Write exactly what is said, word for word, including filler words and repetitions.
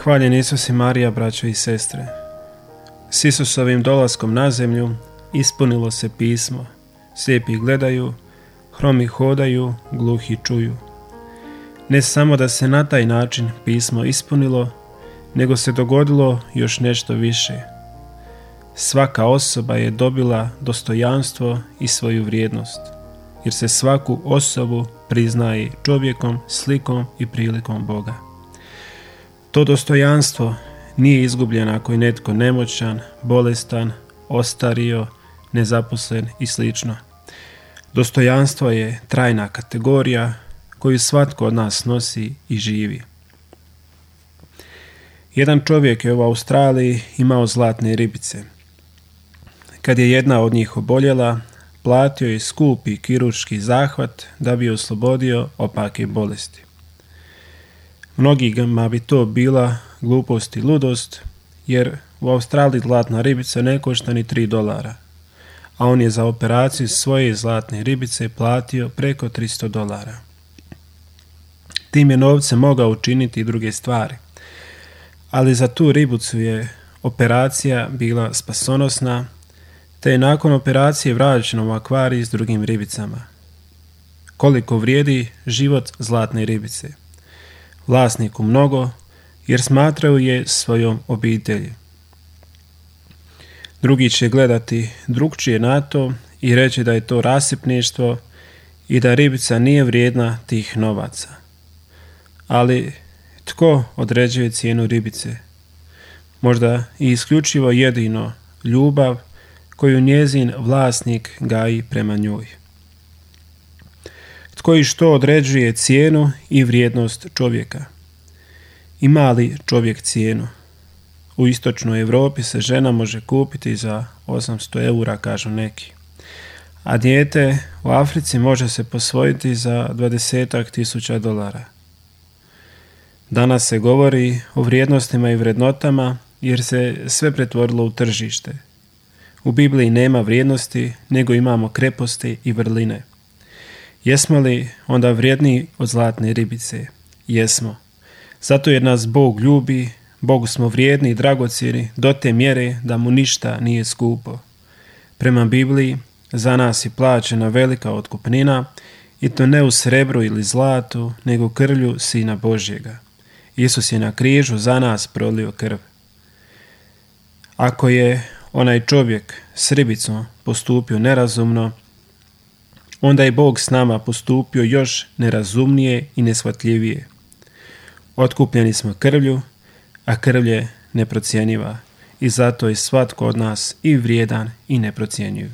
Hvaljen Isus i Marija, braćo i sestre. S Isusovim dolaskom na zemlju ispunilo se pismo. Slijepi gledaju, hromi hodaju, gluhi čuju. Ne samo da se na taj način pismo ispunilo, nego se dogodilo još nešto više. Svaka osoba je dobila dostojanstvo i svoju vrijednost, jer se svaku osobu priznaje čovjekom, slikom i prilikom Boga. To dostojanstvo nije izgubljeno ako je netko nemoćan, bolestan, ostario, nezaposlen i slično. Dostojanstvo je trajna kategorija koju svatko od nas nosi i živi. Jedan čovjek je u Australiji imao zlatne ribice. Kad je jedna od njih oboljela, platio je skupi kirurški zahvat da bi oslobodio opake bolesti. Mnogima bi to bila glupost i ludost, jer u Australiji zlatna ribica ne košta ni tri dolara, a on je za operaciju svoje zlatne ribice platio preko tristo dolara. Tim je novcem mogao učiniti i druge stvari, ali za tu ribicu je operacija bila spasonosna, te je nakon operacije vraćeno u akvarij s drugim ribicama. Koliko vrijedi život zlatne ribice? Vlasniku mnogo, jer smatraju je svojom obitelji. Drugi će gledati drukčije na to i reći da je to rasipništvo i da ribica nije vrijedna tih novaca. Ali tko određuje cijenu ribice? Možda i isključivo jedino ljubav koju njezin vlasnik gaji prema njoj. Tko i što određuje cijenu i vrijednost čovjeka? Ima li čovjek cijenu? U istočnoj Europi se žena može kupiti za osamsto eura, kažu neki. A dijete u Africi može se posvojiti za dvadesetak tisuća dolara. Danas se govori o vrijednostima i vrednotama jer se sve pretvorilo u tržište. U Bibliji nema vrijednosti, nego imamo kreposti i vrline. Jesmo li onda vrijedniji od zlatne ribice? Jesmo. Zato jer nas Bog ljubi, Bogu smo vrijedni i dragocjeni do te mjere da mu ništa nije skupo. Prema Bibliji, za nas je plaćena velika otkupnina, i to ne u srebru ili zlatu, nego krvlju Sina Božjega. Isus je na križu za nas prolio krv. Ako je onaj čovjek s ribicom postupio nerazumno, onda je Bog s nama postupio još nerazumnije i neshvatljivije. Otkupljeni smo krvlju, a krv je neprocjenjiva i zato je svatko od nas i vrijedan i neprocjenjiv.